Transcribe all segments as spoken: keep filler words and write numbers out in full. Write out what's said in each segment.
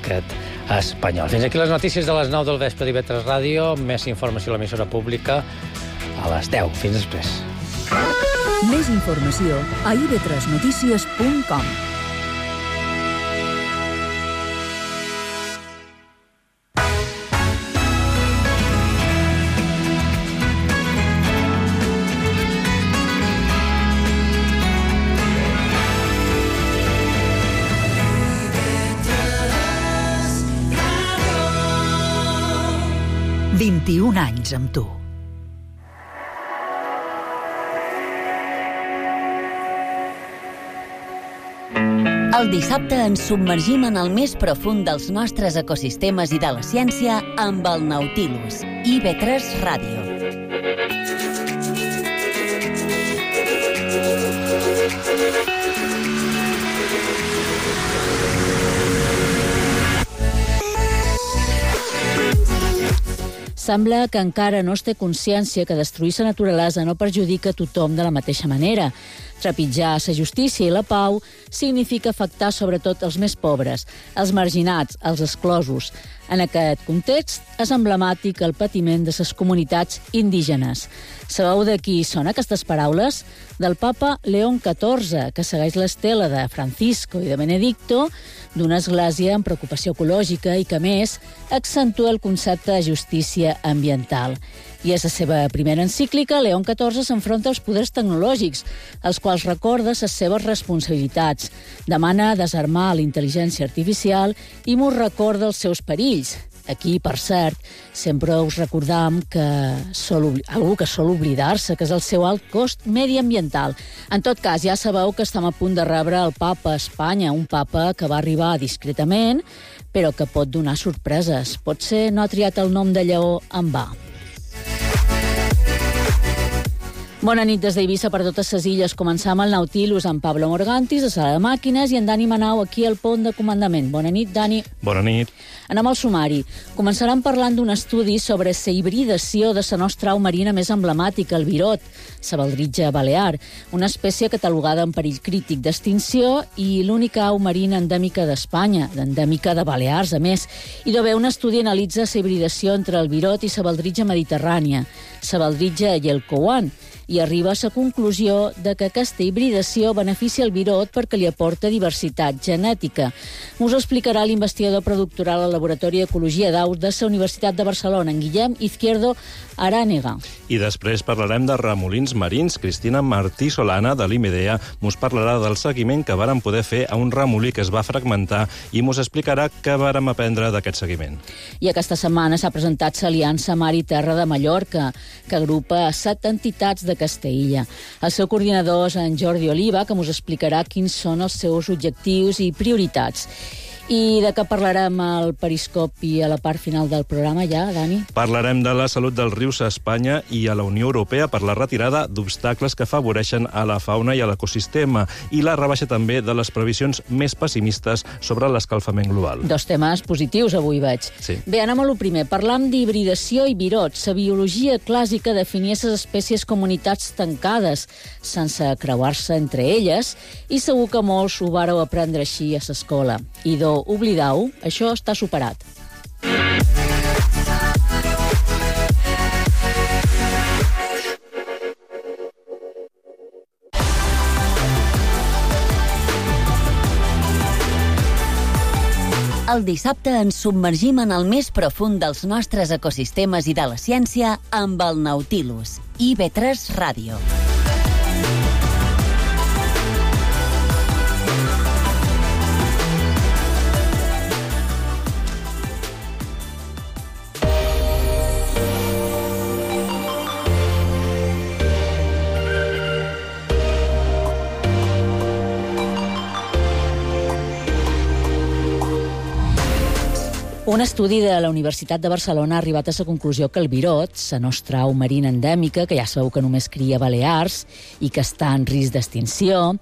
l'estat espanyol. Fins aquí les notícies de les nou del vespre d'I V tres Ràdio. Més informació a l'emissora pública a les deu. Fins després. Més informació a i ve tres notícies punt com. vint-i-un anys amb tu. El dissabte ens submergim en el més profund dels nostres ecosistemes i de la ciència amb el Nautilus. I ve tres Ràdio. Sembla que encara no es té consciència que destruir la naturalesa no perjudica a tothom de la mateixa manera. Trepitjar la justícia i la pau significa afectar sobretot els més pobres, els marginats, els exclosos. En aquest context és emblemàtic el patiment de les comunitats indígenes. Sabeu de qui són aquestes paraules? Del papa León catorze, que segueix l'estela de Francisco i de Benedicto, d'una església amb preocupació ecològica i que, a més, accentua el concepte de justícia ambiental. I és la seva primera encíclica, León catorze s'enfronta als poders tecnològics, als quals recorda les seves responsabilitats. Demana desarmar la intel·ligència artificial i mos recorda els seus perills. Aquí, per cert, sempre us recordam que sol, algú que sol oblidar-se, que és el seu alt cost mediambiental. En tot cas, ja sabeu que estem a punt de rebre el papa a Espanya, un papa que va arribar discretament, però que pot donar sorpreses. Potser no ha triat el nom de lleó en va. Bona nit des d'Eivissa per totes les illes. Començam el Nautilus amb Pablo Morgantis, a sala de màquines, i en Dani Manau aquí al pont de comandament. Bona nit, Dani. Bona nit. Anem al sumari. Començarem parlant d'un estudi sobre la hibridació de la nostra au marina més emblemàtica, el virot, la baldritja balear, una espècie catalogada en perill crític d'extinció i l'única au marina endèmica d'Espanya, endèmica de Balears, a més. I d'haver un estudi analitza la hibridació entre el virot i la baldritja mediterrània, la baldritja i el couan, i arriba a la conclusió de que aquesta hibridació beneficia el virot perquè li aporta diversitat genètica. Us ho explicarà l'investigador predoctoral al Laboratori d'Ecologia d'Aus de la Universitat de Barcelona, en Guillem Izquierdo Arànega. I després parlarem de remolins marins. Cristina Martí Solana, de l'IMEDEA, mos parlarà del seguiment que vàrem poder fer a un remolí que es va fragmentar i mos explicarà què vàrem aprendre d'aquest seguiment. I aquesta setmana s'ha presentat l'Aliança Mar i Terra de Mallorca, que agrupa set entitats de Castella. El seu coordinador és en Jordi Oliva, que ens explicarà quins són els seus objectius i prioritats. I de què parlarem al Periscopi a la part final del programa ja, Dani? Parlarem de la salut dels rius a Espanya i a la Unió Europea per la retirada d'obstacles que afavoreixen a la fauna i a l'ecosistema i la rebaixa també de les previsions més pessimistes sobre l'escalfament global. Dos temes positius avui veig. Sí. Bé, anem a lo primer. Parlam d'hibridació i virot. La biologia clàssica definia les espècies comunitats tancades, sense creuar-se entre elles, i segur que molts ho vàreu aprendre així a l'escola. I do oblidau, això està superat. El dissabte ens submergim en el més profund dels nostres ecosistemes i de la ciència amb el Nautilus. I ve tres Ràdio. Un estudi de la Universitat de Barcelona ha arribat a la conclusió que el virot, la nostra au marina endèmica, que ja sabeu que només cria a Balears i que està en risc d'extinció,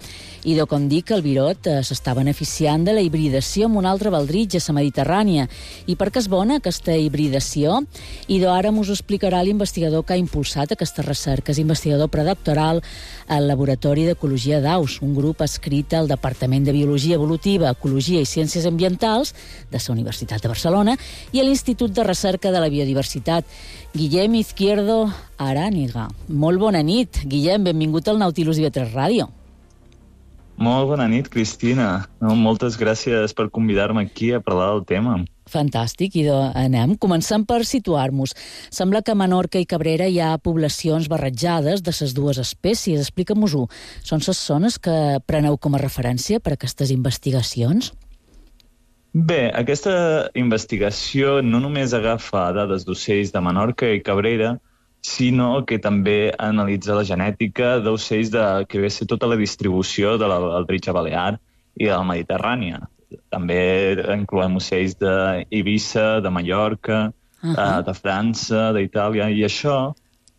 i de com dir que el virot eh, s'està beneficiant de la hibridació amb un altre baldritge a la Mediterrània. I per què és bona aquesta hibridació? I d'ara mos ho explicarà l'investigador que ha impulsat aquesta recerca, és investigador predoctoral al Laboratori d'Ecologia d'Aus, un grup adscrit al Departament de Biologia Evolutiva, Ecologia i Ciències Ambientals de la Universitat de Barcelona i a l'Institut de Recerca de la Biodiversitat. Guillem Izquierdo Aràniga. Molt bona nit, Guillem, benvingut al Nautilus i ve tres Ràdio. Molt bona nit, Cristina. No, moltes gràcies per convidar-me aquí a parlar del tema. Fantàstic, i anem. Comencem per situar-nos. Sembla que a Menorca i Cabrera hi ha poblacions barrejades de les dues espècies. Explica-mos-ho. Són les zones que preneu com a referència per a aquestes investigacions? Bé, aquesta investigació no només agafa dades d'ocells de Menorca i Cabrera, sinó que també analitza la genètica d'ocells de, que ve a ser tota la distribució de l'Aldritxa Balear i de la Mediterrània. També incloem ocells d'Eivissa, de Mallorca, uh-huh. de França, d'Itàlia, i això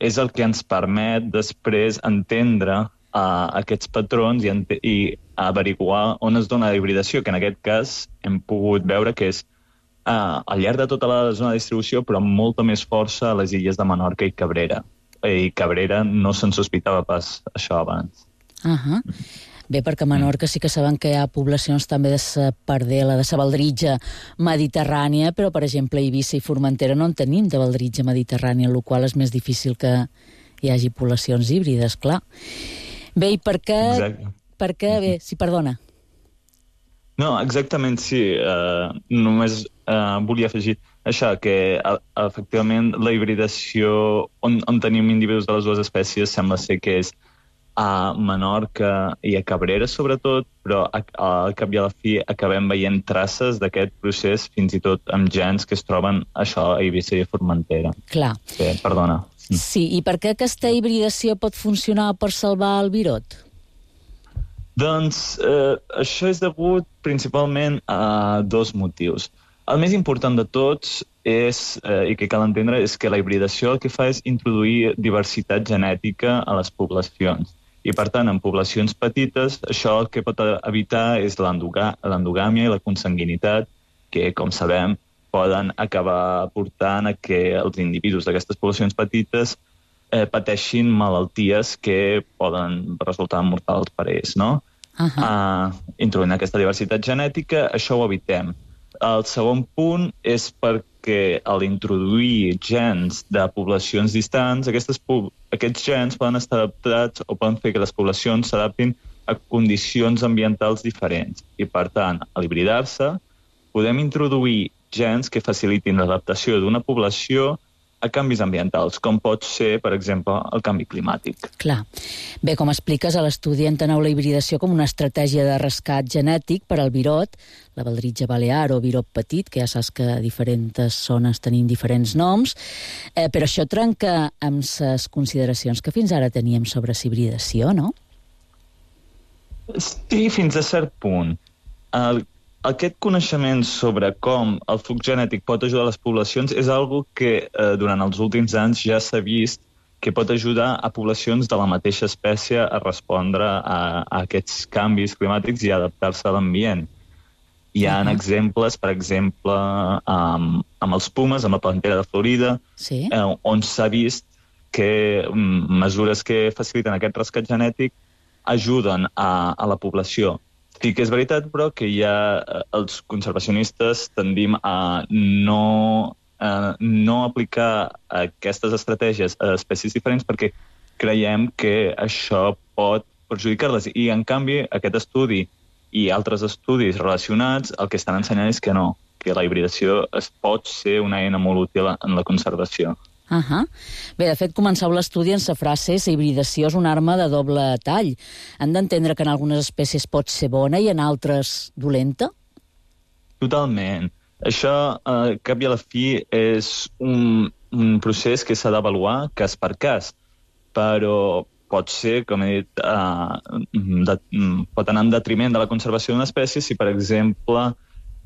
és el que ens permet després entendre Uh, aquests patrons i, i averiguar on es dona la hibridació, que en aquest cas hem pogut veure que és uh, al llarg de tota la zona de distribució, però amb molta més força a les illes de Menorca i Cabrera. I Cabrera no se'n sospitava pas això abans. Uh-huh. Bé, perquè a Menorca sí que saben que hi ha poblacions també de la pardela, de la baldritja mediterrània, però, per exemple, a Eivissa i Formentera no en tenim de baldritja mediterrània, el qual és més difícil que hi hagi poblacions híbrides, clar. Bé, i per què... Exacte. Per què... Bé, sí, perdona. No, exactament, sí. Uh, només uh, volia afegir això, que uh, efectivament la hibridació on, on tenim individus de les dues espècies sembla ser que és a Menorca i a Cabrera, sobretot, però al cap i a la fi acabem veient traces d'aquest procés, fins i tot amb gens que es troben això a Eivissa i a Formentera. Clar. Bé, perdona. Sí, i per què aquesta hibridació pot funcionar per salvar el virot? Doncs eh, això és degut principalment a dos motius. El més important de tots és, eh, i que cal entendre, és que la hibridació el que fa és introduir diversitat genètica a les poblacions. I, per tant, en poblacions petites, això el que pot evitar és l'endogàmia i la consanguinitat, que, com sabem, poden acabar portant a que els individus d'aquestes poblacions petites eh, pateixin malalties que poden resultar mortals per ells, no? Uh-huh. Uh, introduint aquesta diversitat genètica, això ho evitem. El segon punt és perquè a l'introduir gens de poblacions distants, aquestes, aquests gens poden estar adaptats o poden fer que les poblacions s'adaptin a condicions ambientals diferents. I, per tant, a l'hibridar-se, podem introduir gens que facilitin l'adaptació d'una població a canvis ambientals, com pot ser, per exemple, el canvi climàtic. Clar. Bé, com expliques, a l'estudi enteneu la hibridació com una estratègia de rescat genètic per al virot, la baldritja balear o virot petit, que ja saps que a diferents zones tenim diferents noms, eh, però això trenca amb les consideracions que fins ara teníem sobre la hibridació, no? Sí, fins a cert punt. El Aquest coneixement sobre com el flux genètic pot ajudar les poblacions és algo que eh, durant els últims anys ja s'ha vist que pot ajudar a poblacions de la mateixa espècie a respondre a, a aquests canvis climàtics i a adaptar-se a l'ambient. Hi ha uh-huh. exemples, per exemple, amb, amb els pumes, amb la pantera de Florida, sí. eh, on s'ha vist que um, mesures que faciliten aquest rescat genètic ajuden a, a la població. Sí que és veritat, però, que ja els conservacionistes tendim a no, a no aplicar aquestes estratègies a espècies diferents perquè creiem que això pot perjudicar-les. I, en canvi, aquest estudi i altres estudis relacionats el que estan ensenyant és que no, que la hibridació es pot ser una eina molt útil en la conservació. Uh-huh. Bé, de fet, començau l'estudi en la frase «La hibridació és una arma de doble tall». Han d'entendre que en algunes espècies pot ser bona i en altres dolenta? Totalment. Això, eh, cap i a la fi, és un, un procés que s'ha d'avaluar cas per cas, però pot ser, com he dit, eh, de, pot anar en detriment de la conservació d'una espècie si, per exemple,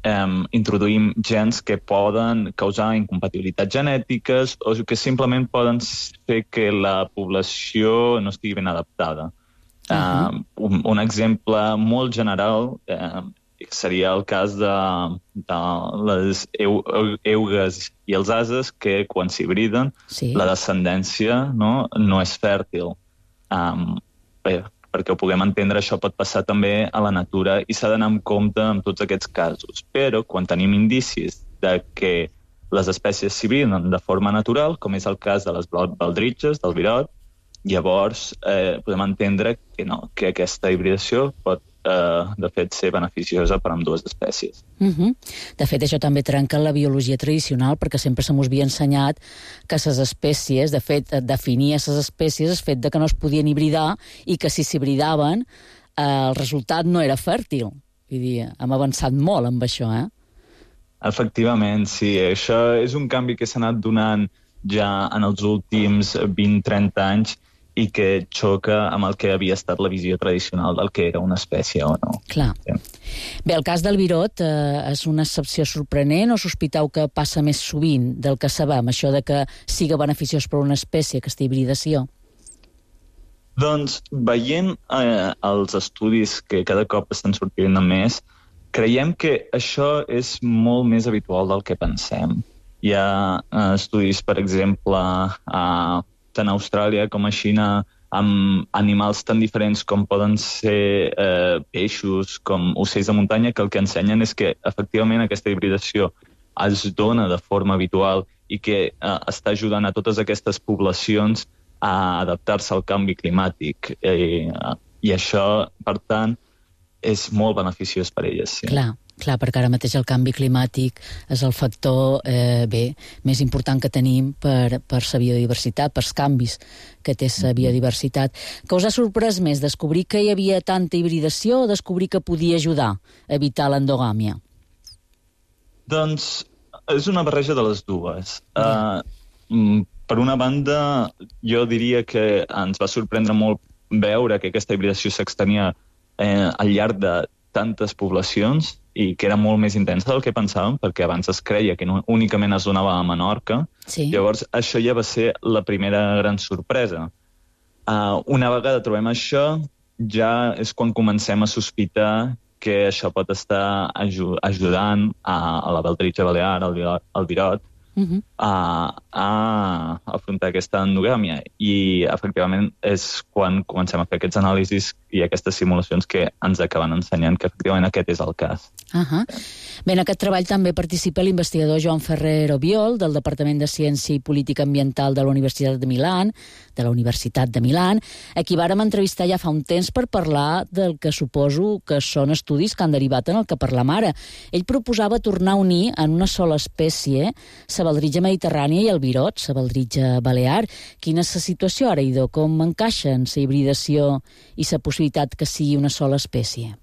um, introduïm gens que poden causar incompatibilitats genètiques o que simplement poden fer que la població no estigui ben adaptada. Uh-huh. uh, un, un exemple molt general uh, seria el cas de, de les eu, eugues i els ases, que quan s'hibriden sí. la descendència no, no és fèrtil. Um, bé, perquè ho puguem entendre, això pot passar també a la natura i s'ha d'anar amb compte en tots aquests casos. Però quan tenim indicis de que les espècies s'hibriden de forma natural, com és el cas de les baldritxes, del virot, llavors eh, podem entendre que, no, que aquesta hibridació pot, eh, de fet, ser beneficiosa per a ambdues espècies. Uh-huh. De fet, això també trenca la biologia tradicional, perquè sempre se mos havia ensenyat que les espècies, de fet, definir les espècies el fet de que no es podien hibridar i que si s'hibridaven eh, el resultat no era fèrtil. Vull dir, hem avançat molt amb això, eh? Efectivament, sí. Això és un canvi que s'ha anat donant ja en els últims vint a trenta anys i que xoca amb el que havia estat la visió tradicional del que era una espècie o no. Clar. Sí. Bé, el cas del virot eh, és una excepció sorprenent o sospiteu que passa més sovint del que sabem, això de que siga beneficiós per una espècie, aquesta hibridació? Doncs, veient eh, els estudis que cada cop estan sortint més, creiem que això és molt més habitual del que pensem. Hi ha eh, estudis, per exemple, a tant a Austràlia com a Xina, amb animals tan diferents com poden ser eh, peixos, com ocells de muntanya, que el que ensenyen és que, efectivament, aquesta hibridació es dona de forma habitual i que eh, està ajudant a totes aquestes poblacions a adaptar-se al canvi climàtic. I, i això, per tant, és molt beneficiós per elles. Sí. Clar. Clar, perquè ara mateix el canvi climàtic és el factor eh, bé, més important que tenim per, per la biodiversitat, pels canvis que té la biodiversitat. Què us ha sorprès més, descobrir que hi havia tanta hibridació o descobrir que podia ajudar a evitar l'endogàmia? Doncs és una barreja de les dues. Yeah. Uh, per una banda, jo diria que ens va sorprendre molt veure que aquesta hibridació s'extenia eh, al llarg de tantes poblacions i que era molt més intensa del que pensàvem, perquè abans es creia que no, únicament es donava a Menorca. Sí. Llavors, això ja va ser la primera gran sorpresa. Uh, una vegada trobem això, ja és quan comencem a sospitar que això pot estar aju ajudant a, a la baldritxa balear, al virot, al virot uh-huh. a, a afrontar aquesta endogàmia. I, efectivament, és quan comencem a fer aquests anàlisis i aquestes simulacions que ens acaben ensenyant que, efectivament, aquest és el cas. Uh -huh. Bé, en aquest treball també participa l'investigador Joan Ferrer Obiol, del Departament de Ciència i Política Ambiental de la Universitat de Milà, de la Universitat de Milà, a qui vàrem entrevistar ja fa un temps per parlar del que suposo que són estudis que han derivat en el que parlam ara. Ell proposava tornar a unir en una sola espècie la baldritja mediterrània i el virot, la baldritja balear. Quina és la situació ara, Idó? Com encaixen la hibridació i la possibilitat que sigui una sola espècie?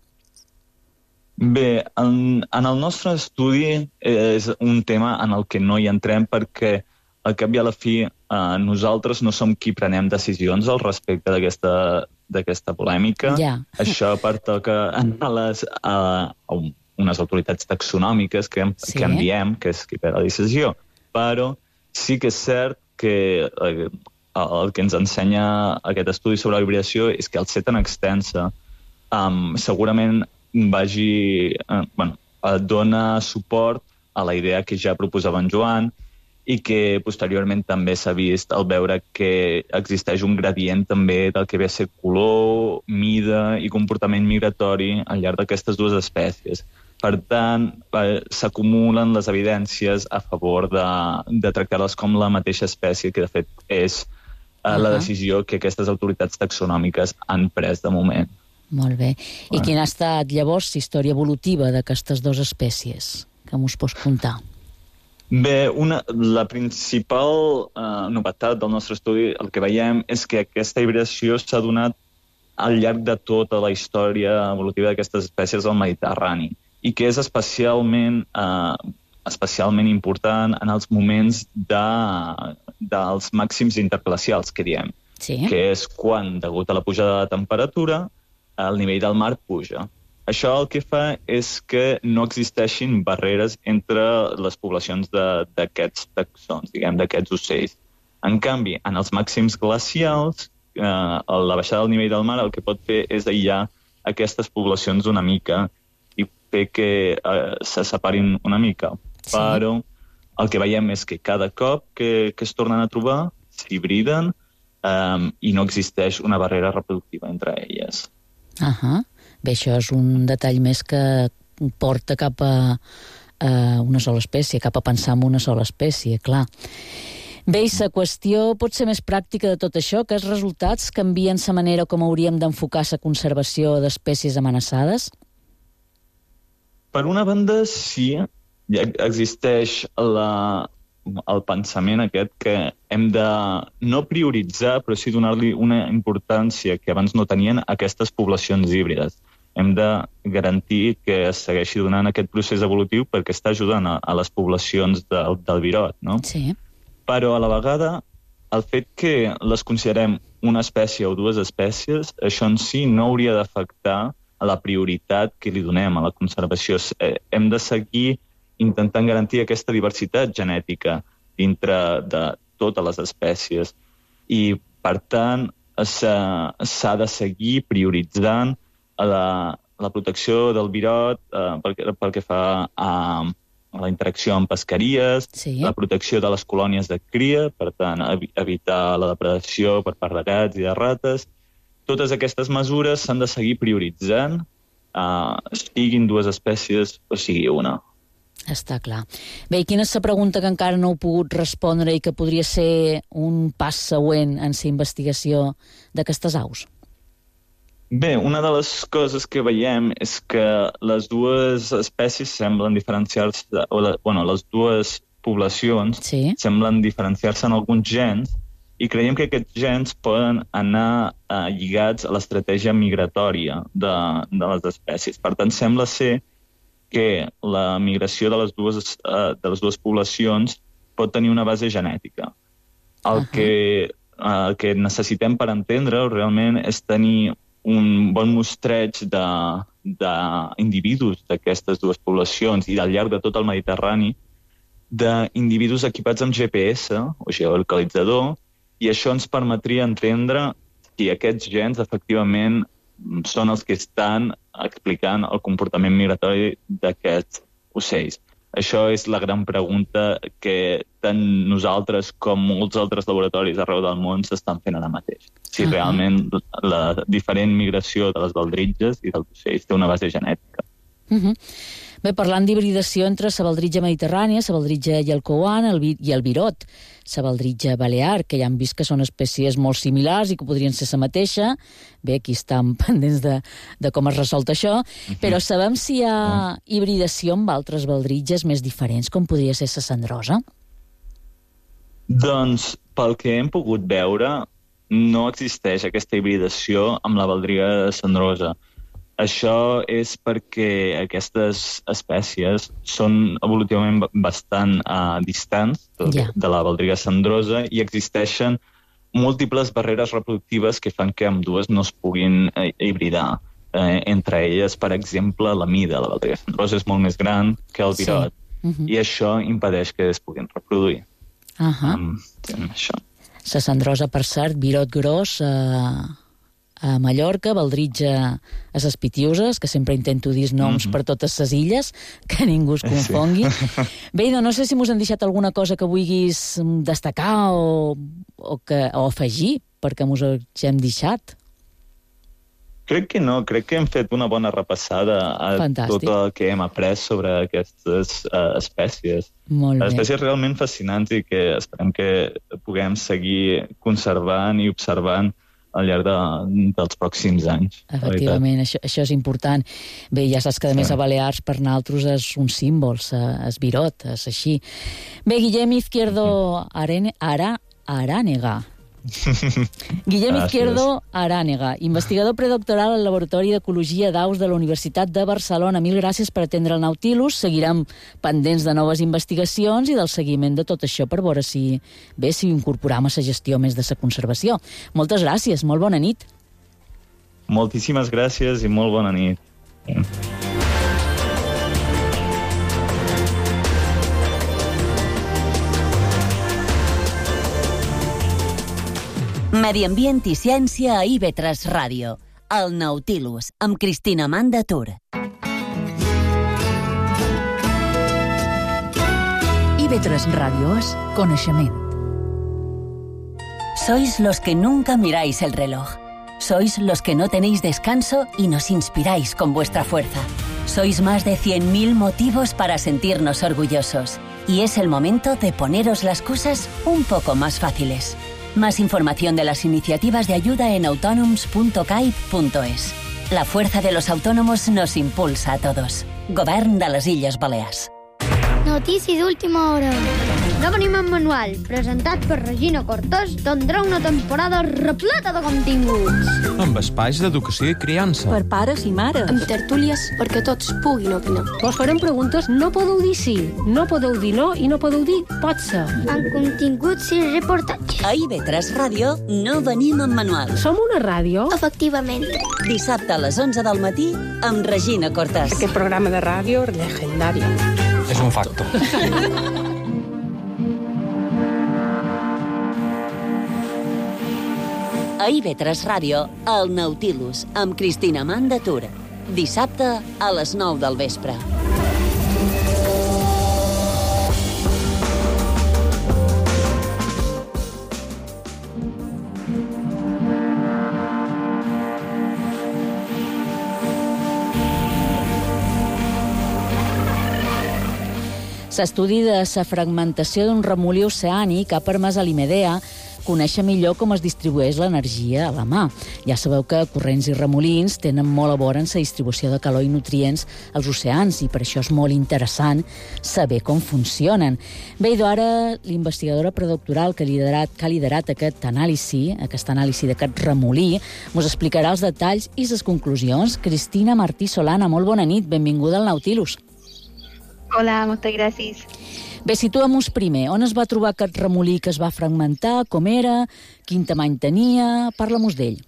Bé, en, en el nostre estudi és un tema en el que no hi entrem perquè al cap i a la fi eh, nosaltres no som qui prenem decisions al respecte d'aquesta d'aquesta polèmica. Yeah. Això pertoca a, les, a, a unes autoritats taxonòmiques que, sí. que enviem, que és qui pren la decisió. Però sí que és cert que eh, el que ens ensenya aquest estudi sobre la hibridació és que al ser tan extensa, um, segurament vagi, eh, bueno, dona suport a la idea que ja proposava en Joan i que posteriorment també s'ha vist al veure que existeix un gradient també del que ve a ser color, mida i comportament migratori al llarg d'aquestes dues espècies. Per tant, eh, s'acumulen les evidències a favor de, de tractar-les com la mateixa espècie, que de fet és eh, uh-huh. la decisió que aquestes autoritats taxonòmiques han pres de moment. Molt bé. I quina ha estat, llavors, la història evolutiva d'aquestes dues espècies? Que m'ho pots contar? Bé, una, la principal eh, novetat del nostre estudi, el que veiem, és que aquesta hibridació s'ha donat al llarg de tota la història evolutiva d'aquestes espècies al Mediterrani i que és especialment, eh, especialment important en els moments de, dels màxims interglacials, que diem, sí. que és quan, degut a la pujada de la temperatura, el nivell del mar puja. això el que fa és que no existeixin barreres entre les poblacions d'aquests taxons, diguem, d'aquests ocells. En canvi, en els màxims glacials, eh, la baixada del nivell del mar el que pot fer és aïllar aquestes poblacions una mica i fer que eh, se separin una mica. Sí. Però el que veiem és que cada cop que, que es tornen a trobar, s'hibriden eh, i no existeix una barrera reproductiva entre elles. Ahà. Bé, això és un detall més que porta cap a, a una sola espècie, cap a pensar en una sola espècie, clar. Bé, i la qüestió pot ser més pràctica de tot això, que els resultats canvien la manera com hauríem d'enfocar la conservació d'espècies amenaçades? Per una banda, sí. Existeix la, el pensament aquest que hem de no prioritzar, però sí donar-li una importància que abans no tenien a aquestes poblacions híbrides. Hem de garantir que es segueixi donant aquest procés evolutiu perquè està ajudant a, a les poblacions del, del virot, no? Sí. Però a la vegada, el fet que les considerem una espècie o dues espècies, això en si no hauria d'afectar a la prioritat que li donem a la conservació. Hem de seguir intentant garantir aquesta diversitat genètica dintre de totes les espècies i, per tant, s'ha de seguir prioritzant la, la protecció del virot eh, pel, pel que fa a, a la interacció amb pesqueries, sí. La protecció de les colònies de cria, per tant, evitar la depredació per part de gats i de rates. Totes aquestes mesures s'han de seguir prioritzant, eh, siguin dues espècies o sigui una. Està clar. Bé, i quina és la pregunta que encara no heu pogut respondre i que podria ser un pas següent en la investigació d'aquestes aus? Bé, una de les coses que veiem és que les dues espècies semblen diferenciar-se, o la, bueno, les dues poblacions sí. semblen diferenciar-se en alguns gens i creiem que aquests gens poden anar eh, lligats a l'estratègia migratòria de, de les espècies. Per tant, sembla ser que la migració de les dues, eh, de les dues poblacions pot tenir una base genètica. El, uh-huh. que, eh, el que necessitem per entendre-ho realment és tenir un bon mostreig d'individus d'aquestes dues poblacions i al llarg de tot el Mediterrani d'individus equipats amb G P S o geolocalitzador, i això ens permetria entendre si aquests gens efectivament són els que estan explicant el comportament migratori d'aquests ocells. Això és la gran pregunta que tant nosaltres com molts altres laboratoris arreu del món s'estan fent ara mateix. Si uh-huh. realment la diferent migració de les baldritges i dels ocells té una base genètica. Uh-huh. Bé, parlant d'hibridació entre la baldritja mediterrània, la baldritja llalcauana el vi- i el virot, la baldritja balear, que ja hem vist que són espècies molt similars i que podrien ser la mateixa. Bé, aquí estan pendents de, de com es resolta això, uh-huh. però sabem si hi ha hibridació amb altres baldritges més diferents, com podria ser la cendrosa? Doncs, pel que hem pogut veure, no existeix aquesta hibridació amb la baldriga cendrosa. Això és perquè aquestes espècies són evolutivament bastant uh, distants de, yeah. de la baldriga cendrosa i existeixen múltiples barreres reproductives que fan que ambdues no es puguin eh, hibridar. Eh, entre elles, per exemple, la mida. La baldriga cendrosa és molt més gran que el virot sí. uh-huh. i això impedeix que es puguin reproduir. Uh-huh. Um, això. La cendrosa, per cert, virot gros... Eh... a Mallorca, baldritja a les Pitiuses, que sempre intento dir noms mm-hmm. per totes les illes, que ningú es confongui. Sí. Bé, no, no sé si mos han deixat alguna cosa que vulguis destacar o, o, que, o afegir, perquè mos hem deixat. Crec que no, crec que hem fet una bona repassada a Fantàstic. Tot el que hem après sobre aquestes uh, espècies. Molt bé. Espècies realment fascinants i que esperem que puguem seguir conservant i observant al llarg de, dels pròxims anys. Efectivament, això, això és important. Bé, ja saps que a més a Balears per nosaltres és un símbol, és virot, és així. Bé, Guillem Izquierdo Arane, Ara, Arànega. Guillem Izquierdo Arànega, investigador predoctoral al Laboratori d'Ecologia d'Aus de la Universitat de Barcelona. Mil gràcies per atendre el Nautilus. Seguirem pendents de noves investigacions i del seguiment de tot això per veure si, bé, si incorporam a la gestió més de la conservació. Moltes gràcies, molt bona nit. Moltíssimes gràcies i molt bona nit. Medi ambient i ciència a I V tres Ràdio. El Nautilus, amb Cristina Manda Tur. I V tres Ràdio és coneixement. Sois los que nunca miráis el reloj. Sois los que no tenéis descanso y nos inspiráis con vuestra fuerza. Sois más de cien mil motivos para sentirnos orgullosos. Y es el momento de poneros las cosas un poco más fáciles. Más información de las iniciativas de ayuda en autonoms punto caib punto es. La fuerza de los autónomos nos impulsa a todos. Govern de les Illes Balears. Notícies d'última hora. No venim en manual, presentat per Regina Cortés, tindrà una temporada repleta de continguts. Amb espais d'educació i criança. Per pares i mares. Amb tertúlies perquè tots puguin opinar. Vos farem preguntes, no podeu dir sí, no podeu dir no i no podeu dir pot ser. Amb continguts i reportatges. A I V tres Ràdio no venim en manual. Som una ràdio? Efectivament. Dissabte a les onze del matí amb Regina Cortés. Aquest programa de ràdio legendari. És un facto. A I V tres Ràdio, el Nautilus, amb Cristina Manda Tur. Dissabte a les nou del vespre. L'estudi de la fragmentació d'un remolí oceànic ha permès a l'Imedea conèixer millor com es distribueix l'energia a la mà. Ja sabeu que corrents i remolins tenen molt a veure en la distribució de calor i nutrients als oceans i per això és molt interessant saber com funcionen. Bé, i ara l'investigadora predoctoral que ha liderat, que ha liderat aquest anàlisi, aquesta anàlisi d'aquest remolí, ens explicarà els detalls i les conclusions. Cristina Martí Solana, molt bona nit, benvinguda al Nautilus. Hola, moltes gràcies. Bé, situem-nos primer. On es va trobar aquest remolí que es va fragmentar? Com era? Quin tamany tenia? Parla-nos d'ell.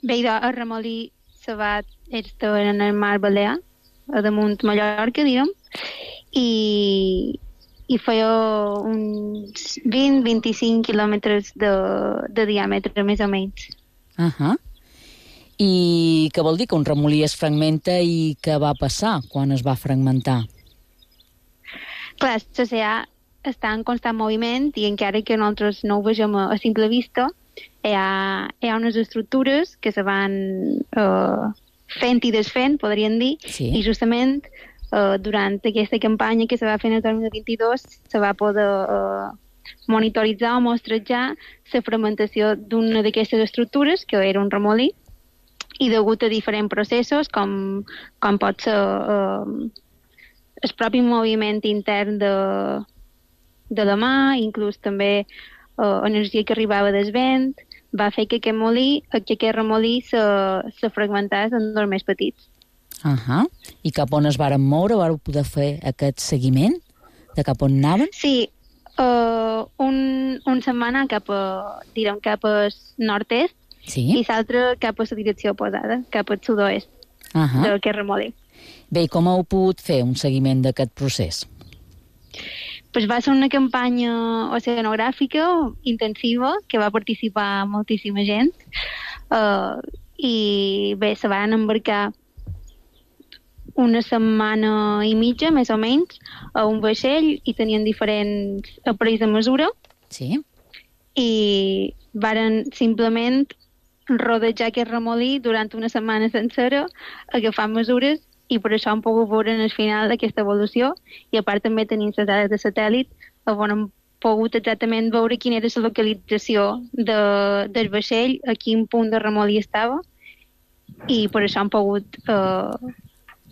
Bé, el remolí se va estar en el mar Balear, a damunt Mallorca, diguem, i, i feia uns vint a vint-i-cinc quilòmetres de, de diàmetre, més o menys. Uh -huh. I què vol dir que un remolí es fragmenta i què va passar quan es va fragmentar? Clar, l'oceà està en constant moviment i encara que nosaltres no ho vegem a, a simple vista, hi ha, hi ha unes estructures que se van uh, fent i desfent, podríem dir, sí. I justament uh, durant aquesta campanya que se va fer en el dos mil vint-i-dos se va poder uh, monitoritzar o mostrejar la fragmentació d'una d'aquestes estructures, que era un remolí, i degut a diferents processos, com, com pot ser uh, el propi moviment intern de, de la mà, inclús també uh, energia que arribava del vent, va fer que aquest molí, que aquest remolí se, se fragmentàs en dos més petits. Uh -huh. I cap on es varen moure? Vareu poder fer aquest seguiment de cap on anaven? Sí, uh, un, un setmana cap a, direm, cap al nord-est, sí. I l'altre cap a la direcció oposada, cap al sud-oest uh -huh. d'aquest remolí. Bé, i com heu pogut fer un seguiment d'aquest procés? Pues va ser una campanya oceanogràfica intensiva que va participar moltíssima gent uh, i bé, se van embarcar una setmana i mitja, més o menys, a un vaixell i tenien diferents aparells de mesura. Sí. I varen simplement rodejar aquest remolí durant una setmana sencera, agafant mesures, i per això hem pogut veure en el final d'aquesta evolució, i a part també tenim les dades de satèl·lit on hem pogut exactament veure quina era la localització de, del vaixell, a quin punt de remolí estava, i per això hem pogut uh,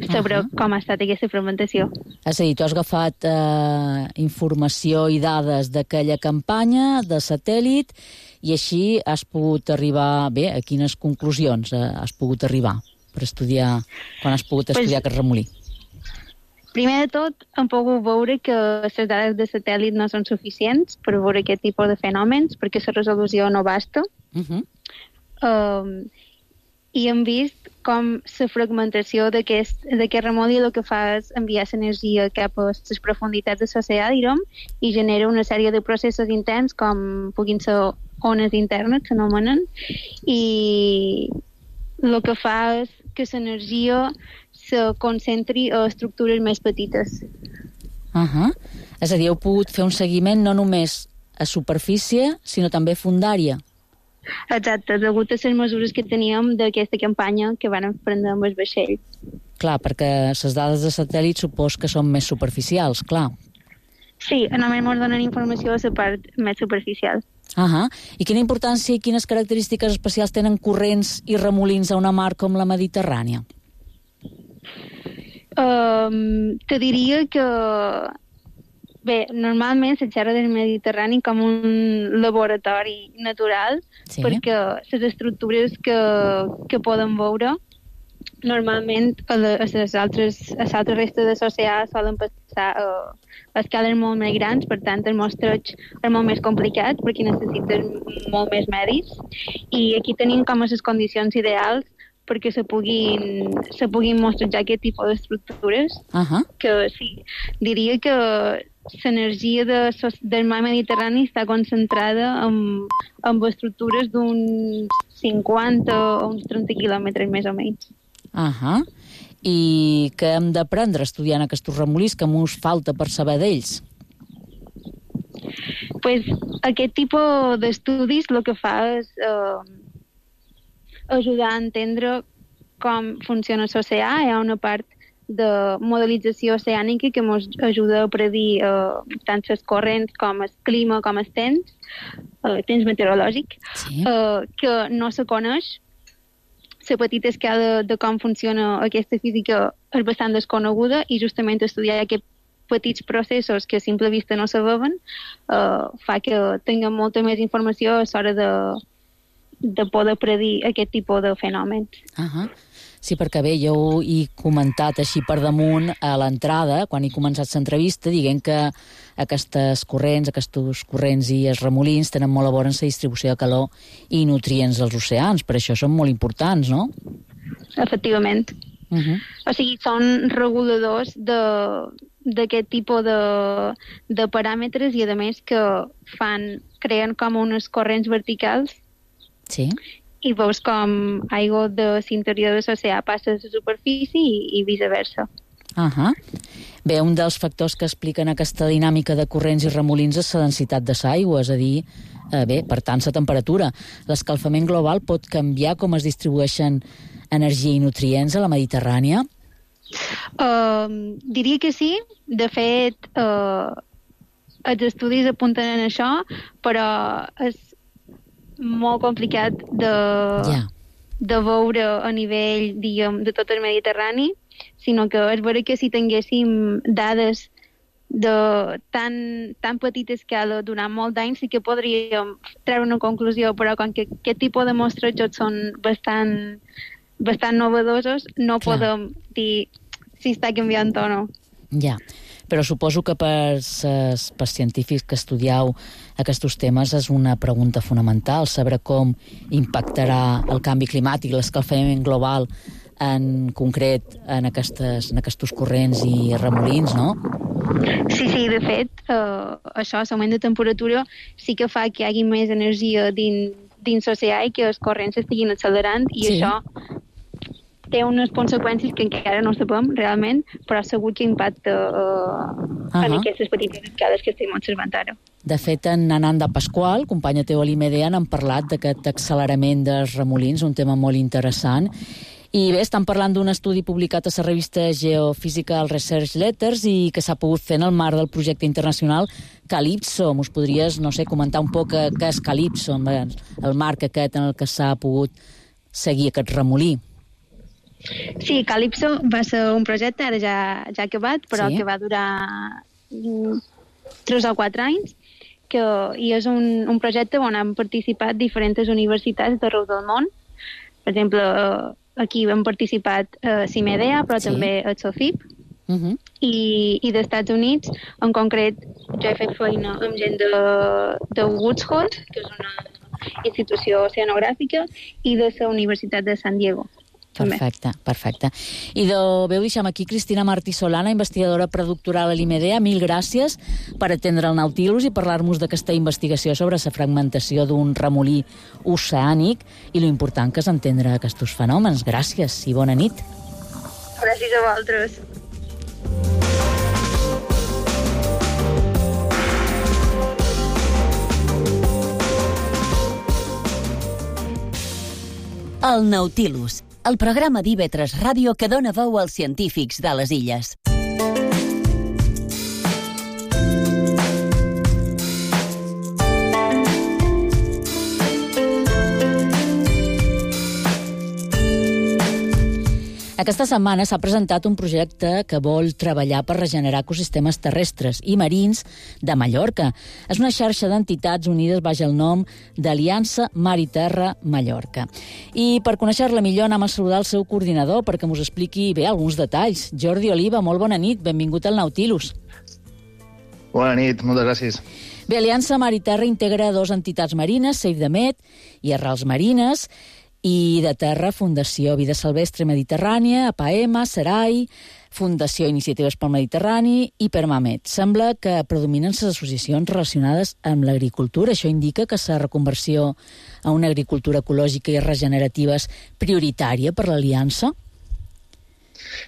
saber uh -huh. com ha estat aquesta fragmentació. És a dir, tu has agafat eh, informació i dades d'aquella campanya, de satèl·lit, i així has pogut arribar, bé, a quines conclusions eh, has pogut arribar per estudiar, quan has pogut estudiar pues, aquest remolí? Primer de tot, hem pogut veure que les dades de satèl·lit no són suficients per veure aquest tipus de fenòmens, perquè la resolució no basta. Uh -huh. um, i hem vist com la fragmentació d'aquest remolí el que fa és enviar l'energia cap a les profunditats de l'oceà, direm, i genera una sèrie de processos interns com puguin ser ones internes, s'anomenen, i el que fa és que l'energia se concentri a estructures més petites. Uh -huh. És a dir, heu pogut fer un seguiment no només a superfície, sinó també fundària. Exacte, degut a les mesures que teníem d'aquesta campanya que van prendre amb el vaixell. Clar, perquè les dades de satèl·lit supos que són més superficials, clar. Sí, només ens donen informació a la part més superficial. Uh -huh. I quina importància i quines característiques especials tenen corrents i remolins a una mar com la Mediterrània? Um, te diria que... Bé, normalment se xerra del Mediterrani com un laboratori natural, sí. Perquè les estructures que, que podem veure normalment a les altres, a l'altra resta de l'oceà solen passar a, a escales molt més grans, per tant el mostreig és molt més complicat perquè necessiten molt més medis, i aquí tenim com a les condicions ideals perquè se puguin, se puguin mostrejar aquest tipus d'estructures. Uh-huh. Que sí, diria que l'energia de, del mar Mediterrani està concentrada en, en estructures d'uns cinquanta o uns trenta quilòmetres més o menys. Ahà. I què hem d'aprendre estudiant aquests remolins, que mos falta per saber d'ells? Pues, aquest tipus d'estudis el que fa és eh, ajudar a entendre com funciona l'oceà. Hi ha una part de modelització oceànica que ens ajuda a predir eh, tant les corrents com el clima, com el temps, el temps meteorològic, sí. eh, que no se coneix. La petita escala de com funciona aquesta física és bastant desconeguda i justament estudiar aquests petits processos que a simple vista no se veuen eh, fa que tinguem molta més informació a l'hora de, de poder predir aquest tipus de fenòmens. Uh-huh. Sí, perquè bé, jo he comentat així per damunt a l'entrada, quan he començat l'entrevista, dient que aquestes corrents, aquests corrents i els remolins tenen molt a veure amb la distribució de calor i nutrients dels oceans, per això són molt importants, no? Efectivament. Uh-huh. O sigui, són reguladors d'aquest tipus de, de paràmetres i, a més, que fan, creen com unes corrents verticals. Sí. I veus com aigua de l'interior de l'oceà passa a la superfície i, i viceversa. Uh-huh. Bé, un dels factors que expliquen aquesta dinàmica de corrents i remolins és la densitat de l'aigua, és a dir, eh, bé, per tant, la temperatura. L'escalfament global pot canviar com es distribueixen energia i nutrients a la Mediterrània? Uh, diria que sí. De fet, uh, els estudis apunten en això, però és molt complicat de, yeah. de veure a nivell, diguem, de tot el Mediterrani, sinó que és vera que si tinguéssim dades de tan, tan petita escala durant molt d'anys sí que podríem treure una conclusió, però com que aquest tipus de mostratges són bastant, bastant novedosos, no Clar. podem dir si està canviant o no. Ja. Yeah. Però suposo que per, ses, per científics que estudieu aquests temes és una pregunta fonamental, saber com impactarà el canvi climàtic, l'escalfament global, en concret en, aquestes, en aquests corrents i remolins, no? Sí, sí, de fet, eh, això, l'augment de temperatura, sí que fa que hi hagi més energia dins, dins l'oceà i que els corrents estiguin accelerant, i sí. això té unes conseqüències que encara no sabem realment, però segur que impacta uh, uh-huh. en aquestes petites escales que estem observant ara. De fet, en Ananda Pasqual, companya teva a l'I M D, han parlat d'aquest accelerament dels remolins, un tema molt interessant. I bé, estan parlant d'un estudi publicat a la revista Geophysical Research Letters i que s'ha pogut fer en el marc del projecte internacional Calypso. Mos podries, no sé, comentar un poc què és Calypso, el marc aquest en el que s'ha pogut seguir aquest remolí? Sí, Calypso va ser un projecte, ara ja, ja acabat, però sí. que va durar tres o quatre anys, que, i és un, un projecte on han participat diferents universitats d'arreu del món. Per exemple, aquí hem participat a CIMEDEA, però sí. també a SOFIP, uh-huh. i, i dels Estats Units, en concret, jo he fet feina amb gent de, de Woods Hole, que és una, institució oceanogràfica i de la Universitat de San Diego. Perfecte, perfecte. I de, veu deixem aquí Cristina Martí Solana, investigadora predoctoral a l'I M D A. Mil gràcies per atendre el Nautilus i parlar-nos d'aquesta investigació sobre la fragmentació d'un remolí oceànic i lo important que és entendre aquests fenòmens. Gràcies i bona nit. Gràcies a vosaltres. El Nautilus, el programa d'I V tres Ràdio que dona veu als científics de les illes. Aquesta setmana s'ha presentat un projecte que vol treballar per regenerar ecosistemes terrestres i marins de Mallorca. És una xarxa d'entitats unides baix el nom d'Aliança Mar i Terra Mallorca. I per conèixer-la millor anem a saludar el seu coordinador perquè mos expliqui bé alguns detalls. Jordi Oliva, molt bona nit, benvingut al Nautilus. Bona nit, moltes gràcies. Bé, Aliança Mar i Terra integra dues entitats marines, Save the Med i Arrels Marines, i de terra, Fundació Vida Silvestre Mediterrània, A P A E M A, SERAI, Fundació Iniciatives pel Mediterrani i Permamed. Sembla que predominen les associacions relacionades amb l'agricultura. Això indica que la reconversió a una agricultura ecològica i regenerativa és prioritària per l'Aliança?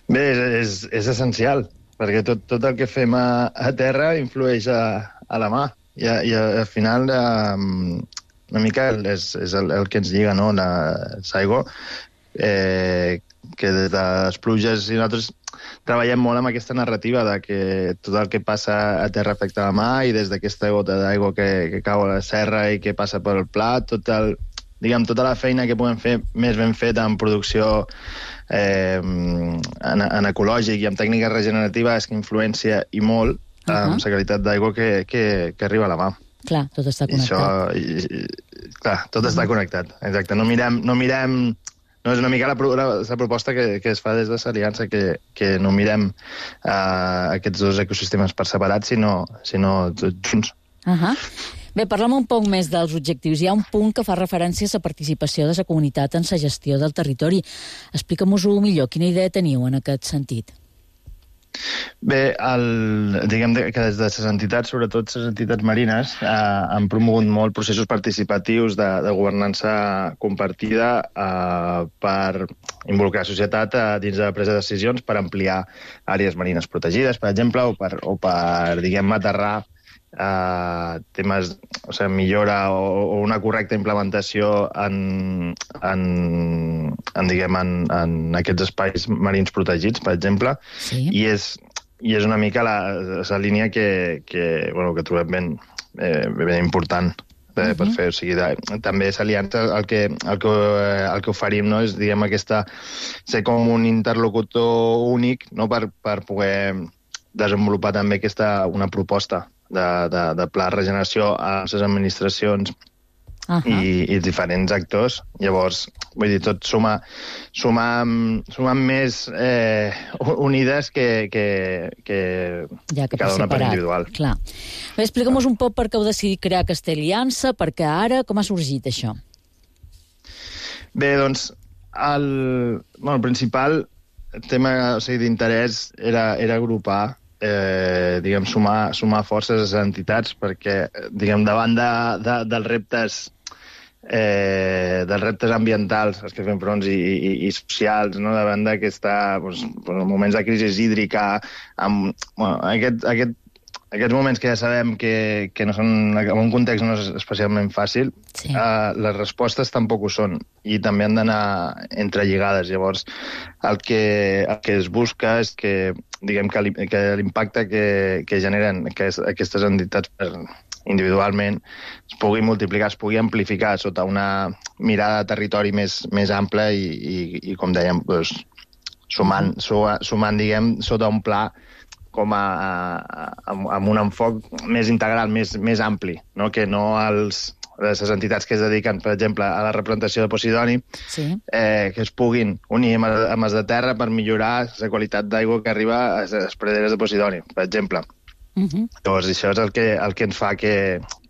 Bé, és, és, és essencial, perquè tot, tot el que fem a, a terra influeix a, a la mà. I, i al final... Eh, una mica és, és el, el que ens lliga, no?, l'aigua, eh, que des de les pluges i nosaltres treballem molt amb aquesta narrativa de que tot el que passa a terra afecta la mà i des d'aquesta gota d'aigua que, que cau a la serra i que passa pel plat, tot el, diguem, tota la feina que podem fer més ben feta en producció eh, en, en ecològic i en tècnica regenerativa és que influencia i molt uh-huh. amb la qualitat d'aigua que, que, que arriba a la mà. Clar, tot està connectat. I això, i, clar, tot està connectat, exacte. No mirem, no mirem, no és una mica la, la, la proposta que, que es fa des de l'Aliança, que, que no mirem uh, aquests dos ecosistemes per separat, sinó, sinó tots junts. Uh -huh. Bé, parlem un poc més dels objectius. Hi ha un punt que fa referència a la participació de la comunitat en la gestió del territori. Explica'm-ho millor, quina idea teniu en aquest sentit? Bé, el, diguem que des de les entitats, sobretot les entitats marines, eh, han promogut molt processos participatius de, de governança compartida eh, per involucrar la societat eh, dins de la presa de decisions per ampliar àrees marines protegides, per exemple, o per, o per diguem, aterrar eh, temes, o sigui, millora o, o una correcta implementació en, en, en, diguem, en, en aquests espais marins protegits, per exemple, sí. i és i és una mica la, la línia que, que, bueno, que trobem ben, eh, ben important eh, uh-huh. per fer. O sigui, de, també s'aliança el que, el, que, el que oferim, no? És, diguem, aquesta, ser com un interlocutor únic, no? per, per poder desenvolupar també aquesta, una proposta de, de, de pla de regeneració a les administracions uh-huh. i, i diferents actors. Llavors, vull dir, tot suma, suma, suma més eh, unides que, que, que, ja que cada una per individual. Clar. Bé, explica'm-nos un poc per què heu decidit crear aquesta aliança, perquè ara, com ha sorgit això? Bé, doncs, el, bueno, el principal tema, o sigui, d'interès era, era agrupar Eh, diguem, sumar, sumar forces a les entitats perquè, diguem, davant de, de, dels reptes eh, dels reptes ambientals als que fem fronts i, i, i socials, no? Davant d'aquesta, doncs, moments de crisi hídrica, amb, bueno, aquest, aquest, aquests moments que ja sabem que, que no són, en un context no és especialment fàcil, sí. eh, les respostes tampoc ho són i també han d'anar entrelligades. Llavors, el que, el que es busca és que, diguem, que l'impacte que, que generen aquestes entitats individualment es pugui multiplicar, es pugui amplificar sota una mirada de territori més, més ampla i, i, i com dèiem, doncs, sumant, sumant, diguem, sota un pla com a, a, amb un enfoc més integral, més, més ampli, no? Que no els, les entitats que es dediquen, per exemple, a la representació de Posidoni, sí. eh, que es puguin unir amb, amb els de terra per millorar la qualitat d'aigua que arriba a les praderes de Posidoni, per exemple. Uh-huh. Llavors, això és el que, el que ens fa que,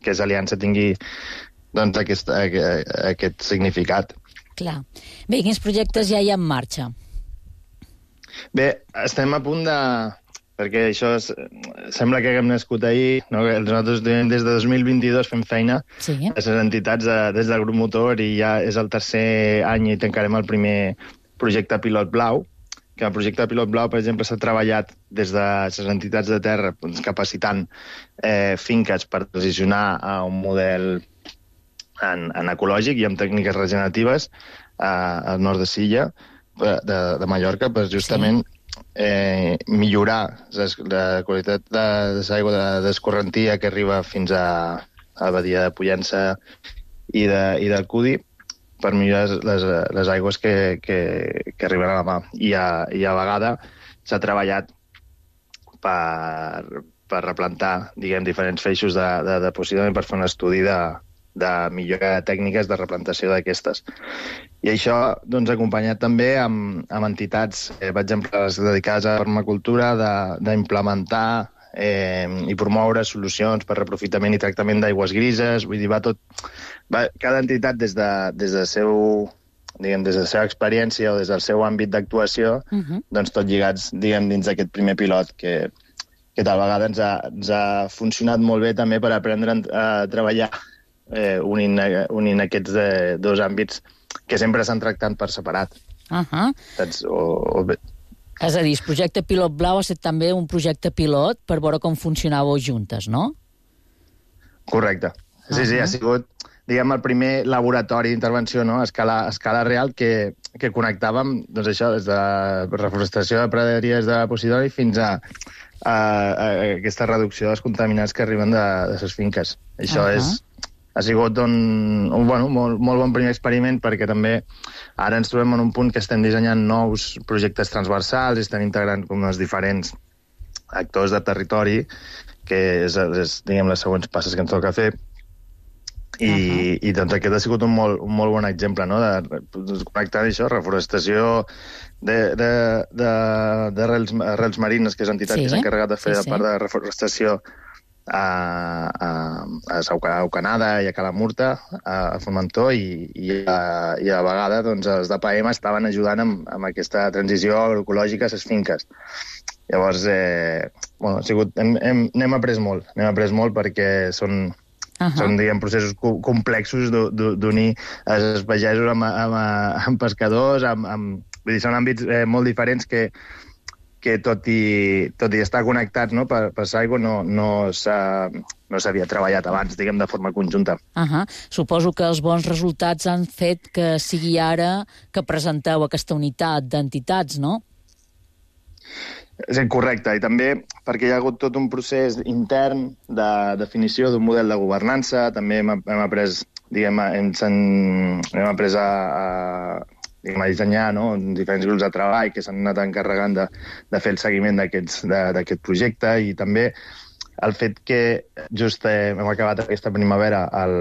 que l'Aliança tingui doncs, aquest, aquest significat. Clar. Bé, quins projectes ja hi ha en marxa? Bé, estem a punt de... perquè això és, sembla que haguem nascut ahir, no? Nosaltres des de dos mil vint-i-dos fem feina sí. a les entitats de, des del grup motor i ja és el tercer any i tancarem el primer projecte Pilot Blau, que el projecte Pilot Blau, per exemple, s'ha treballat des de les entitats de terra doncs, capacitant eh, finques per transicionar a un model en, en ecològic i amb tècniques regeneratives eh, al nord de Silla, de, de Mallorca, per justament sí. Eh, millorar la qualitat de, de l'aigua d'escorrentia que arriba fins a, a la badia de Pollença i, de, i del Cudi per millorar les, les aigües que, que, que arriben a la mà. I a, i a vegada s'ha treballat per, per replantar diguem, diferents feixos de, de, de possiblement per fer un estudi de, de millora de tècniques de replantació d'aquestes. I això doncs, acompanyat també amb, amb entitats, eh, per exemple, les dedicades a la permacultura, d'implementar eh, i promoure solucions per reprofitament i tractament d'aigües grises. Vull dir, va tot... Va, cada entitat, des de, des de seu, diguem, des de la seva experiència o des del seu àmbit d'actuació, uh-huh. doncs tot lligats diguem, dins d'aquest primer pilot que, que tal vegada ens ha, ens ha funcionat molt bé també per aprendre a treballar eh, unint, unint aquests eh, dos àmbits que sempre s'han tractat per separat. Uh-huh. Saps? O, o... És a dir, el projecte Pilot Blau ha estat també un projecte pilot per veure com funcionàveu juntes, no? Correcte. Sí, uh-huh. sí, ha sigut, diguem, el primer laboratori d'intervenció, no?, a escala, a escala real que, que connectàvem, doncs això, des de reforestació de praderies de Posidoni fins a, a, a aquesta reducció dels contaminants que arriben de, de les finques. Això uh-huh. és... Ha sigut un, un bueno, molt, molt bon primer experiment perquè també ara ens trobem en un punt que estem dissenyant nous projectes transversals i estem integrant com els diferents actors de territori, que és, és diguem, les següents passes que ens toca fer. I, uh-huh. i doncs aquest ha sigut un molt, un molt bon exemple, no?, de, de connectar això, reforestació de, de, de, de arrels, arrels marines, que és l'entitat sí. que s'ha encarregat de fer sí, sí. la part de reforestació a, a, a Aucanada i a Calamurta, a Formentor, i, i, a, i a vegada doncs, els d'A P A M estaven ajudant amb, amb aquesta transició agroecològica a les finques. Llavors, eh, bueno, ha sigut, hem, hem, n'hem après molt, n'hem après molt perquè són, uh-huh. són diguem, processos complexos d'unir els pagesos amb, amb, amb pescadors, amb, amb, vull dir, són àmbits eh, molt diferents que que tot i, tot i estar connectats no, per, per l'aigua no, no s'havia no treballat abans, diguem, de forma conjunta. Uh-huh. Suposo que els bons resultats han fet que sigui ara que presenteu aquesta unitat d'entitats, no? És correcte, i també perquè hi ha hagut tot un procés intern de definició d'un model de governança, també hem, hem après, diguem, hem, hem après a, a diguem, a dissenyar no? diferents grups de treball que s'han anat encarregant de, de fer el seguiment d'aquest projecte, i també el fet que just eh, hem acabat aquesta primavera el,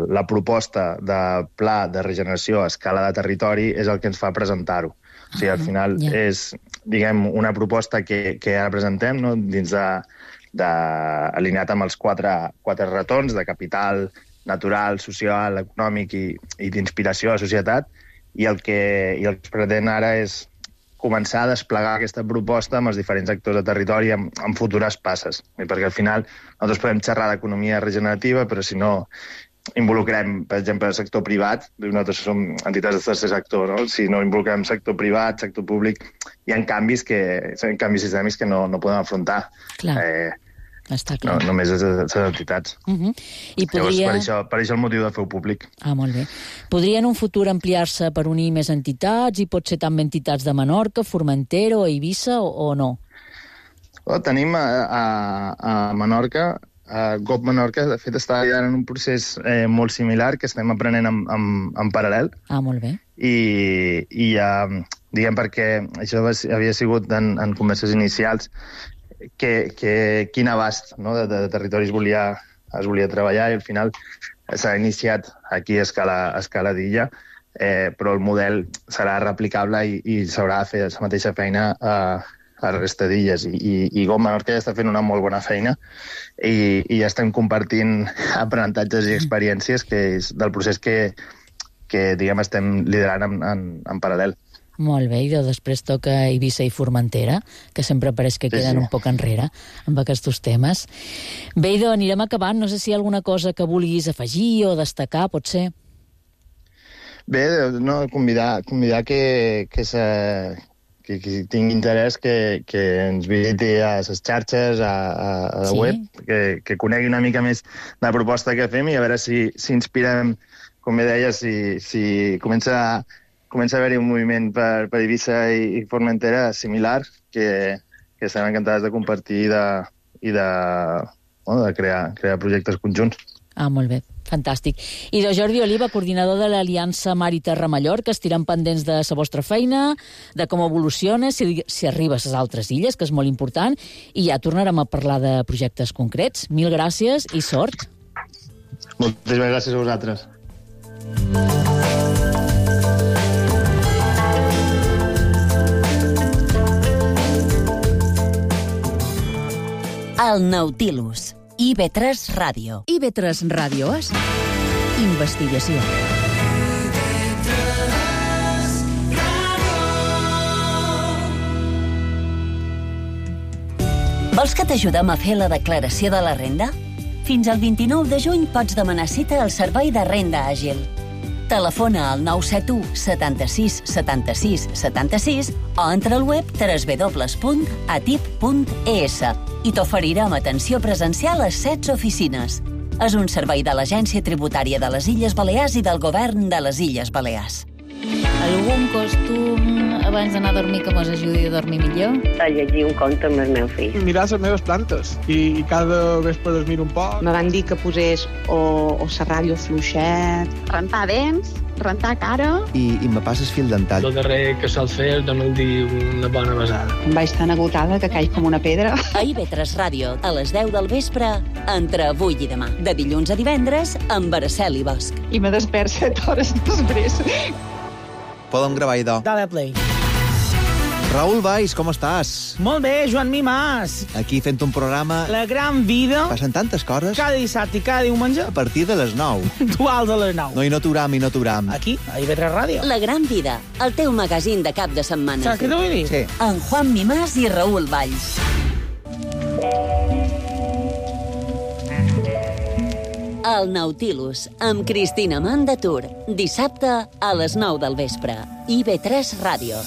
la proposta de pla de regeneració a escala de territori és el que ens fa presentar-ho. O sigui, al final yeah. és, diguem, una proposta que, que ara presentem no? dins de, de, alineat amb els quatre, quatre retorns de capital natural, social, econòmic i, i d'inspiració a la societat, i el que, i el que es pretén ara és començar a desplegar aquesta proposta amb els diferents actors de territori amb, amb futures passes. Perquè al final nosaltres podem xerrar d'economia regenerativa, però si no involucrem, per exemple, el sector privat, nosaltres som entitats de tercer sector, no? Si no involucrem sector privat, sector públic, hi ha canvis, que, canvis sistèmics que no, no podem afrontar. Clar. Eh, Està clar. No, només les entitats. Uh-huh. I podria... Llavors, per això, per això el motiu de fer-ho públic. Ah, molt bé. Podria en un futur ampliar-se per unir més entitats i pot ser també entitats de Menorca, Formentera o Eivissa o, o no? Oh, tenim a, a, a Menorca, a G O P Menorca, de fet està en un procés eh, molt similar que estem aprenent en, en, en paral·lel. Ah, molt bé. I, i uh, diguem perquè això havia sigut en, en converses inicials que, que quin abast no, de, de territoris volia, es volia treballar, i al final s'ha iniciat aquí a escala, a escala d'illa, eh, però el model serà replicable i, i s'haurà de fer la mateixa feina a, a la resta d'illes. I, i, i Go Menorca ja està fent una molt bona feina i, i ja estem compartint aprenentatges i experiències que és del procés que, que diguem, estem liderant en, en, en paral·lel. Molt bé, i després toca Eivissa i Formentera, que sempre pareix que queden sí, sí. un poc enrere amb aquests temes. Bé, idò, anirem acabant. No sé si hi ha alguna cosa que vulguis afegir o destacar, pot ser? Bé, no, convidar, convidar que, que, se, que qui tingui interès que, que ens visiti a les xarxes, a, a, a la sí. web, que, que conegui una mica més de la proposta que fem i a veure si, si inspirem, com bé deia, si, si comença a comença a haver-hi un moviment per, per Eivissa i, i Formentera similar que, que estem encantats de compartir i de, i de, bueno, de crear, crear projectes conjunts. Ah, molt bé. Fantàstic. I de Jordi Oliva, coordinador de l'Aliança Mar i Terra Mallorca, estirem pendents de la vostra feina, de com evoluciona, si, si arriba a les altres illes, que és molt important, i ja tornarem a parlar de projectes concrets. Mil gràcies i sort. Moltíssimes gràcies a vosaltres. El Nautilus. I B tres Ràdio. I B tres Ràdio és investigació. Vols que t'ajudem a fer la declaració de la renda? Fins al vint-i-nou de juny pots demanar cita al Servei de Renda Àgil. Telefona al nou set u setanta-sis setanta-sis setanta-sis o entra al web w w w punt atip punt e s i t'oferirem atenció presencial a set oficines. És un servei de l'Agència Tributària de les Illes Balears i del Govern de les Illes Balears. Algun costum abans d'anar a dormir que mos ajudi a dormir millor? A llegir un conte amb el meu fill. Mirar les meves plantes i, i cada vespre les miro un poc. Me van dir que posés o, o la ràdio fluixet, rentar dents, rentar cara... I, i me passes fil dental. El darrer que sol fer és donar-li dir una bona besada. Em vaig tan agotada que caig com una pedra. A I B tres Ràdio, a les deu del vespre, entre avui i demà. De dilluns a divendres, amb Araceli Bosch. I me despert set hores després. Podem gravar, idò. Dale play. Raül Valls, com estàs? Molt bé, Joan Mimàs. Aquí fent un programa... La gran vida. Passen tantes coses. Cada dissabte i cada diumenge. A partir de les nou. Duals a les nou. No, i no t'uram, i no t'uram. Aquí, a I B tres Ràdio. La gran vida, el teu magazín de cap de setmana. Saps què t'ho vull dir? Sí. En Juan Mimàs i Raül Valls. El Nautilus, amb Cristina Mandatur. Dissabte a les nou del vespre. I B tres Ràdio.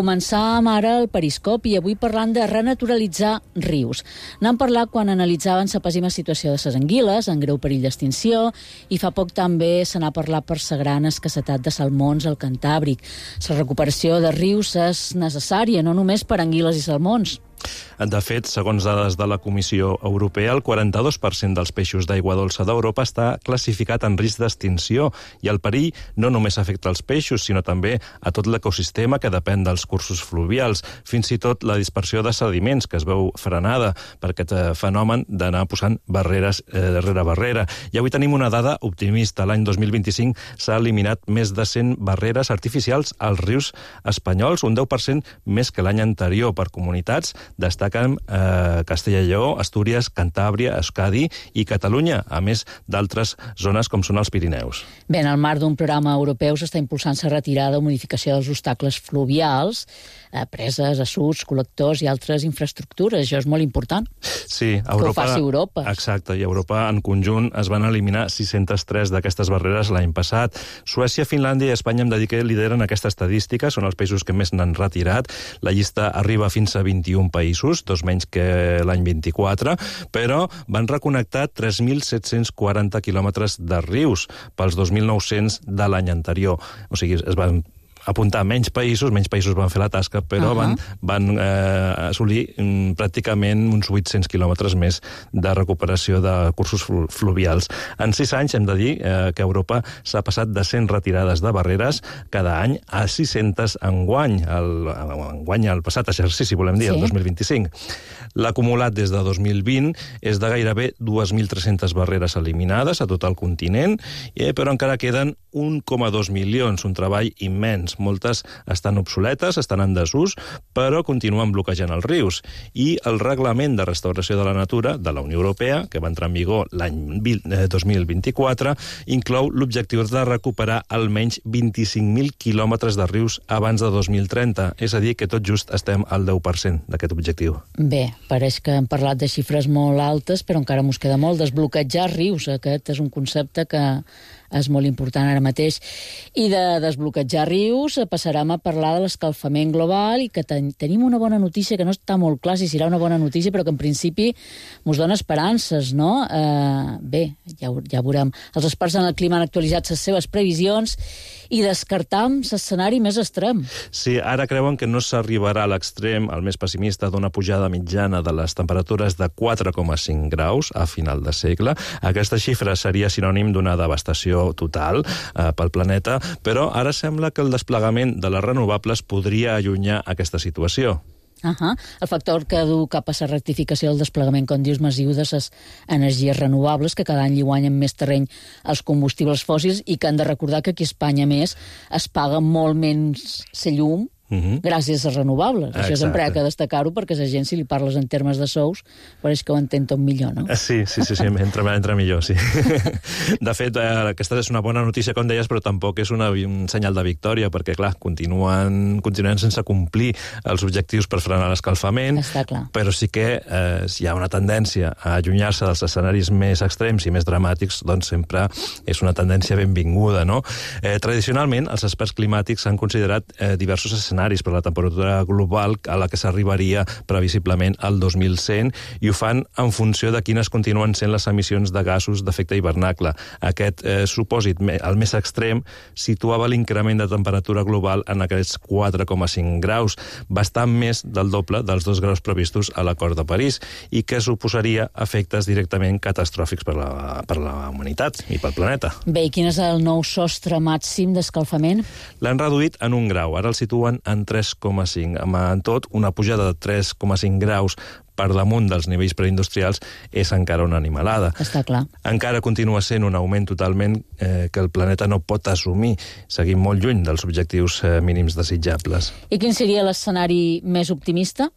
Començàvem ara el periscopi i avui parlant de renaturalitzar rius. N'han parlat quan analitzaven la pèssima situació de les anguiles, en greu perill d'extinció, i fa poc també se n'ha parlat per la gran escassetat de salmons al Cantàbric. La recuperació de rius és necessària, no només per anguiles i salmons. De fet, segons dades de la Comissió Europea, el quaranta-dos per cent dels peixos d'aigua dolça d'Europa està classificat en risc d'extinció i el perill no només afecta els peixos, sinó també a tot l'ecosistema que depèn dels cursos fluvials, fins i tot la dispersió de sediments, que es veu frenada per aquest fenomen d'anar posant barreres eh, darrere barrera. I avui tenim una dada optimista. L'any dos mil vint-i-cinc s'ha eliminat més de cent barreres artificials als rius espanyols, un deu per cent més que l'any anterior per comunitats. Destaquen eh, Castella i Lleó, Astúries, Cantàbria, Euskadi i Catalunya, a més d'altres zones com són els Pirineus. Bé, en el marc d'un programa europeu s'està impulsant la retirada o modificació dels obstacles fluvials, eh, preses, assuts, col·lectors i altres infraestructures. Això és molt important. Sí, Europa, que ho faci Europa. Exacte, i Europa en conjunt es van eliminar sis-centes tres d'aquestes barreres l'any passat. Suècia, Finlàndia i Espanya, hem de dir que lideren aquesta estadística, són els països que més n'han retirat. La llista arriba fins a vint-i-un països, dos menys que l'any vint-i-quatre, però van reconnectar tres mil set-cents quaranta quilòmetres de rius pels dos mil nou-cents de l'any anterior. O sigui, es van apuntar menys països, menys països van fer la tasca, però uh -huh. van, van eh, assolir mm, pràcticament uns vuit-cents quilòmetres més de recuperació de cursos fluvials. En sis anys hem de dir eh, que Europa s'ha passat de cent retirades de barreres cada any a sis-centes enguany, el, enguany el passat exercici, volem dir, sí. el dos mil vint-i-cinc. L'acumulat des de dos mil vint és de gairebé dues mil tres-centes barreres eliminades a tot el continent, eh, però encara queden un coma dos milions, un treball immens. Moltes estan obsoletes, estan en desús, però continuen bloquejant els rius. I el Reglament de Restauració de la Natura de la Unió Europea, que va entrar en vigor l'any dos mil vint-i-quatre, inclou l'objectiu de recuperar almenys vint-i-cinc mil quilòmetres de rius abans de dos mil trenta. És a dir, que tot just estem al deu per cent d'aquest objectiu. Bé, pareix que hem parlat de xifres molt altes, però encara mos queda molt. Desbloquejar rius, aquest és un concepte que és molt important ara mateix. I de desbloquejar rius passarem a parlar de l'escalfament global i que ten tenim una bona notícia, que no està molt clar si serà una bona notícia, però que en principi mos dona esperances, no? Eh, bé, ja, ja veurem. Els experts en el clima han actualitzat les seves previsions i descartam l'escenari més extrem. Sí, ara creuen que no s'arribarà a l'extrem, el més pessimista, d'una pujada mitjana de les temperatures de quatre coma cinc graus a final de segle. Aquesta xifra seria sinònim d'una devastació total eh, pel planeta, però ara sembla que el desplegament de les renovables podria allunyar aquesta situació. Uh -huh. El factor que du cap a la rectificació del desplegament, com dius, massiu de les energies renovables, que cada any hi guanyen més terreny als combustibles fòssils i que han de recordar que aquí a Espanya, més, es paga molt menys la llum Uh-huh. gràcies a renovables. Exacte. Això sempre ha de destacar-ho, perquè a la gent, si li parles en termes de sous, pareix que ho entén tot millor, no? Sí, sí, sí, sí entra, entra millor, sí. De fet, eh, aquesta és una bona notícia, com deies, però tampoc és una, un senyal de victòria, perquè, clar, continuen, continuen sense complir els objectius per frenar l'escalfament, està clar. Però sí que eh, si hi ha una tendència a allunyar-se dels escenaris més extrems i més dramàtics, doncs sempre és una tendència benvinguda, no? Eh, tradicionalment, els experts climàtics han considerat eh, diversos escenaris per la temperatura global a la que s'arribaria previsiblement al dos mil cent, i ho fan en funció de quines continuen sent les emissions de gasos d'efecte hivernacle. Aquest eh, supòsit, el més extrem, situava l'increment de temperatura global en aquests quatre coma cinc graus, bastant més del doble dels dos graus previstos a l'Acord de París, i que suposaria efectes directament catastròfics per la, per la humanitat i pel planeta. Bé, i quin és el nou sostre màxim d'escalfament? L'han reduït en un grau, ara el situen en tres coma cinc. En tot, una pujada de tres coma cinc graus per damunt dels nivells preindustrials és encara una animalada. Està clar. Encara continua sent un augment totalment eh, que el planeta no pot assumir. Seguim molt lluny dels objectius eh, mínims desitjables. I quin seria l'escenari més optimista?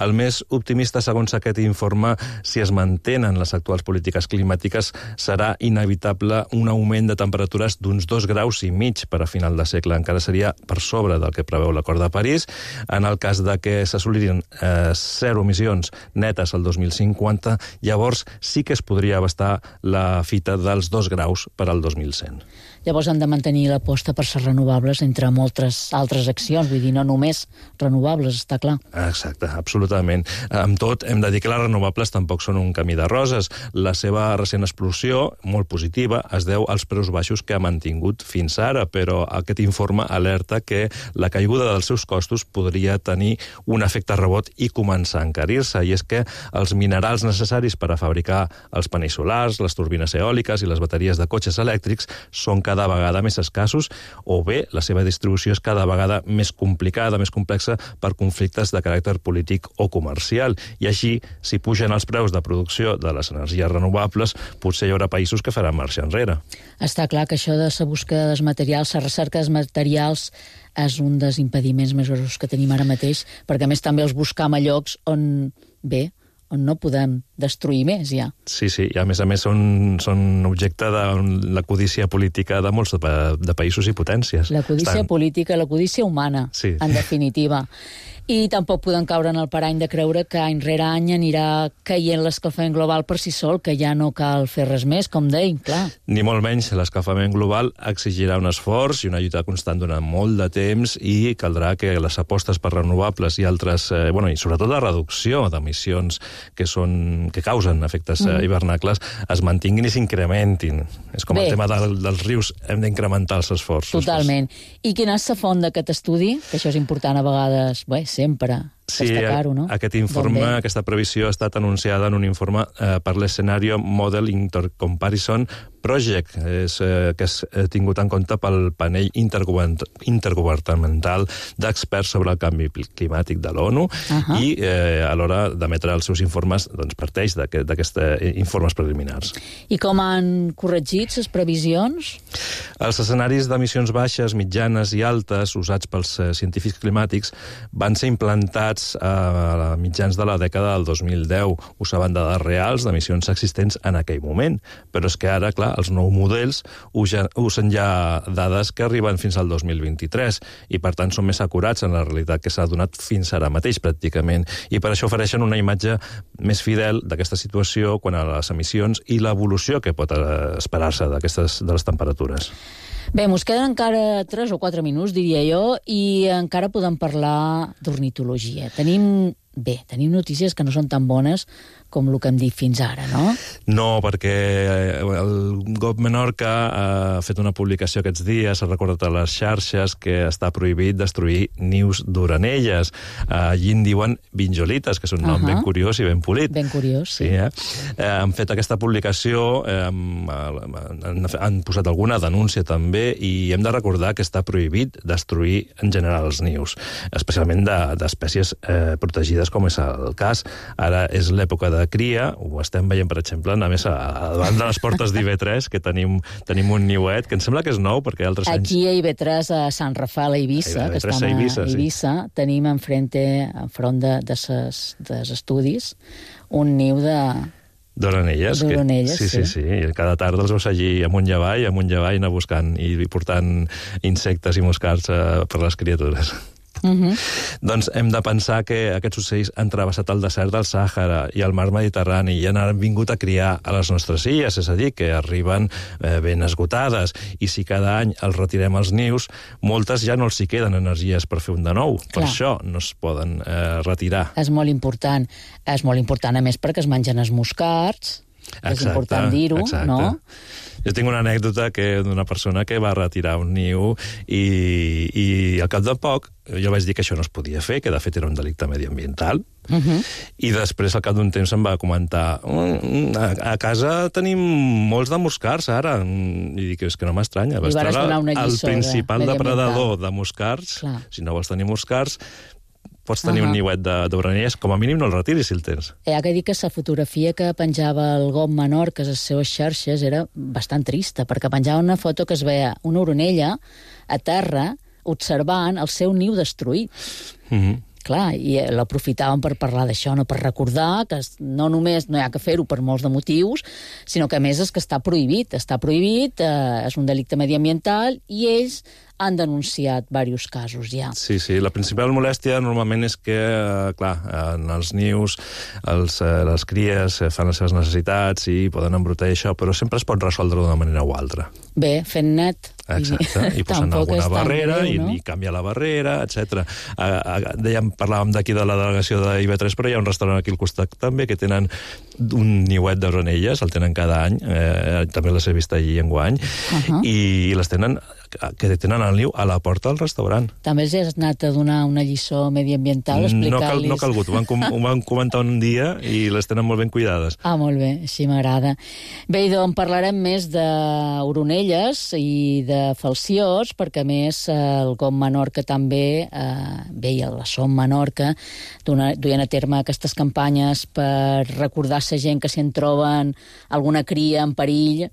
El més optimista, segons aquest informe, si es mantenen les actuals polítiques climàtiques, serà inevitable un augment de temperatures d'uns dos graus i mig per a final de segle. Encara seria per sobre del que preveu l'Acord de París. En el cas de que s'assolirien eh, zero emissions netes al dos mil cinquanta, llavors sí que es podria abastar la fita dels dos graus per al dos mil cent. Llavors han de mantenir l'aposta per ser renovables entre moltes altres accions, vull dir, no només renovables, està clar. Exacte, absolutament. Amb tot, hem de dir que les renovables tampoc són un camí de roses. La seva recent explosió, molt positiva, es deu als preus baixos que ha mantingut fins ara, però aquest informe alerta que la caiguda dels seus costos podria tenir un efecte rebot i començar a encarir-se, i és que els minerals necessaris per a fabricar els panells solars, les turbines eòliques i les bateries de cotxes elèctrics són cada vegada més escassos, o bé la seva distribució és cada vegada més complicada, més complexa per conflictes de caràcter polític o comercial. I així, si pugen els preus de producció de les energies renovables, potser hi haurà països que faran marxa enrere. Està clar que això de la busca dels materials, la recerca dels materials, és un dels impediments més grossos que tenim ara mateix, perquè a més també els buscam a llocs on, bé, on no podem destruir més, ja. Sí, sí, i a més a més són, són objecte de la codícia política de molts de, de països i potències. La codícia Estan... política, la codícia humana, sí. En definitiva. I tampoc podem caure en el parany de creure que any rere any anirà caient l'escalfament global per si sol, que ja no cal fer res més, com deim, clar. Ni molt menys, l'escalfament global exigirà un esforç i una lluita constant durant molt de temps, i caldrà que les apostes per renovables i altres, eh, bueno, i sobretot la reducció d'emissions que, són, que causen efectes mm. hivernacles es mantinguin i s'incrementin. És com Bé. el tema del, dels rius, hem d'incrementar els esforços. Totalment. I quina és la font d'aquest estudi? Que això és important a vegades, bé, sempre. Sí, no? Aquest informe, aquesta previsió ha estat anunciada en un informe eh, per l'Escenario Model Intercomparison Project, és, eh, que és tingut en compte pel panell intergovernamental d'experts sobre el canvi climàtic de l'ONU uh-huh. i eh, a l'hora d'emetre els seus informes doncs, parteix d'aquests informes preliminars. I com han corregit les previsions? Els escenaris d'emissions baixes, mitjanes i altes usats pels eh, científics climàtics van ser implantats a mitjans de la dècada del dos mil deu. Usaven dades reals d'emissions existents en aquell moment. Però és que ara, clar, els nous models usen ja dades que arriben fins al dos mil vint-i-tres i, per tant, són més acurats en la realitat que s'ha donat fins ara mateix, pràcticament. I per això ofereixen una imatge més fidel d'aquesta situació quan a les emissions i l'evolució que pot esperar-se d'aquestes de les temperatures. Bé, mos queden encara tres o quatre minuts, diria jo, i encara podem parlar d'ornitologia. Tenim, bé, tenim notícies que no són tan bones com el que hem dit fins ara, no? No, perquè el G O P Menorca ha fet una publicació aquests dies, ha recordat a les xarxes que està prohibit destruir nius d'orenelles. Allí en diuen vinjolites, que és un nom uh-huh. ben curiós i ben polit. Ben curiós, sí. sí eh? Eh, han fet aquesta publicació, eh, han, han posat alguna denúncia també, i hem de recordar que està prohibit destruir en general els nius, especialment d'espècies de, eh, protegides, com és el cas. Ara és l'època de de cria, ho estem veient, per exemple, a més, a, a davant de les portes d'I B tres, que tenim, tenim un niuet, que em sembla que és nou, perquè altres anys... Aquí a I B tres, a Sant Rafael, a Eivissa, que estem a Eivissa, Eivissa sí. tenim enfrente, enfront de, de ses, dels estudis, un niu de... D'orenelles. D'orenelles, sí. Sí, sí, sí. I cada tarda els veus allí amunt i avall, amunt i avall, anar buscant i portant insectes i moscards uh, per les criatures. Uh-huh. Doncs hem de pensar que aquests ocells han travessat el desert del Sàhara i el mar Mediterrani i han vingut a criar a les nostres illes, és a dir, que arriben eh, ben esgotades, i si cada any els retirem els nius, moltes ja no els hi queden energies per fer un de nou. Clar. Per això no es poden eh, retirar. És molt important. És molt important, a més, perquè es mengen els moscards. Exacte, és important dir-ho, no? Jo tinc una anècdota que d'una persona que va retirar un niu i, i al cap de poc jo vaig dir que això no es podia fer, que de fet era un delicte mediambiental, uh-huh. i després al cap d'un temps em va comentar mm, a, a casa tenim molts de moscards ara, i dic, és que no m'estranya, va estar el principal depredador de moscards. Clar. Si no vols tenir moscards, pots tenir uh-huh. un niuet d'orenelles, com a mínim no el retiris si el tens. Hi ha que dir que la fotografia que penjava el G O P Menorca a les seves xarxes era bastant trista, perquè penjava una foto que es veia una orenella a terra observant el seu niu destruït. Uh-huh. Clar, i l'aprofitaven per parlar d'això, no per recordar que no només no hi ha que fer-ho per molts de motius, sinó que a més és que està prohibit, està prohibit, eh, és un delicte mediambiental, i ells han denunciat diversos casos ja. Sí, sí, la principal molèstia normalment és que, eh, clar, en els nius els, eh, les cries fan les seves necessitats i poden embrutar això, però sempre es pot resoldre d'una manera o altra. Bé, fent net. Exacte, i posant alguna barrera greu, no? i, i canviar la barrera, etcètera. Dèiem, parlàvem d'aquí de la delegació d'I B tres, però hi ha un restaurant aquí al costat també que tenen un niuet d'orenelles, el tenen cada any, eh, també les he vist allí enguany, uh-huh. i les tenen que tenen el niu a la porta del restaurant. També els has anat a donar una lliçó mediambiental, explicar-los... No, cal, no ha calgut, ho van, com, ho van comentar un dia i les tenen molt ben cuidades. Ah, molt bé, així m'agrada. Bé, doncs parlarem més d'oronelles i de falciós, perquè a més el G O P Menorca també, eh, bé, i la Som Menorca, duien a terme aquestes campanyes per recordar la gent que si en troben alguna cria en perill,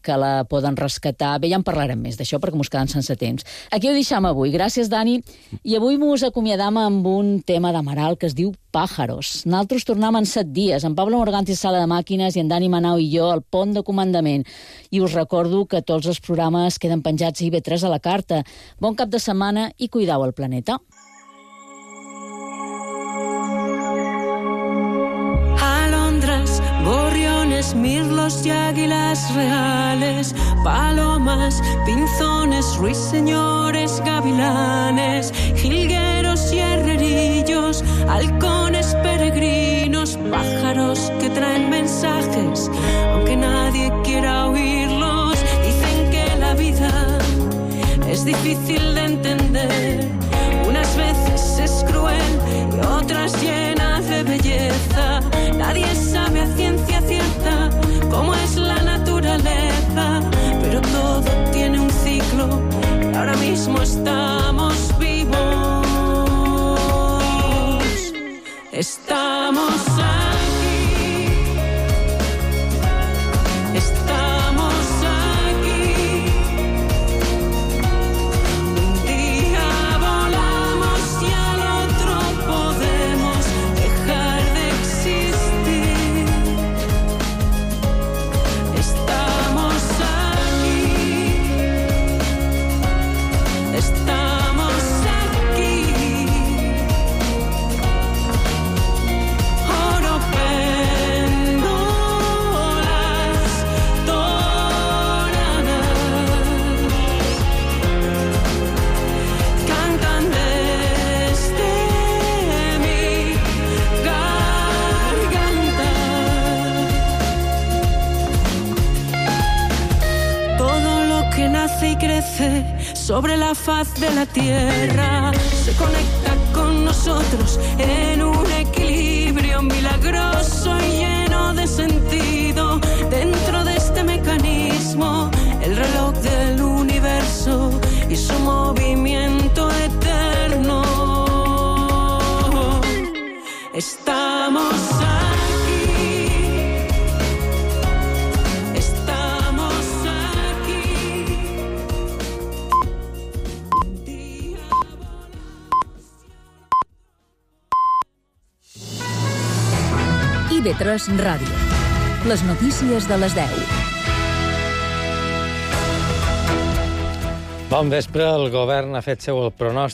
que la poden rescatar. Bé, ja en parlarem més d'això, perquè mos quedem sense temps. Aquí ho deixam avui. Gràcies, Dani. I avui mos acomiadam amb un tema d'Amaral que es diu Pájaros. Nosaltres tornem en set dies, en Pablo Morganti, sala de màquines, i en Dani Manau i jo al pont de comandament. I us recordo que tots els programes queden penjats a I B tres a la carta. Bon cap de setmana i cuidau el planeta. Gorriones, mirlos y águilas reales, palomas, pinzones, ruiseñores, gavilanes, jilgueros y herrerillos, halcones peregrinos, los pájaros que traen mensajes, aunque nadie quiera oírlos. Dicen que la vida es difícil de entender, unas veces es cruel y otras llenas de belleza. Nadie sabe a ciencia cierta cómo es la naturaleza, pero todo tiene un ciclo y ahora mismo estamos vivos. Estamos aquí, estamos aquí. Un día volamos y al otro podemos dejar de existir. Estamos aquí, estamos aquí. Oro, péndolas doradas cantan desde mi garganta. Todo lo que nace y crece sobre la faz de la tierra se conecta con nosotros en un equilibrio milagroso y lleno de sentido. Dentro de este mecanismo, el reloj del universo y su movimiento eterno. Estamos aquí, estamos aquí. I V tres Ràdio. Les notícies de les deu. Bon vespre. El govern ha fet seu el pronòstic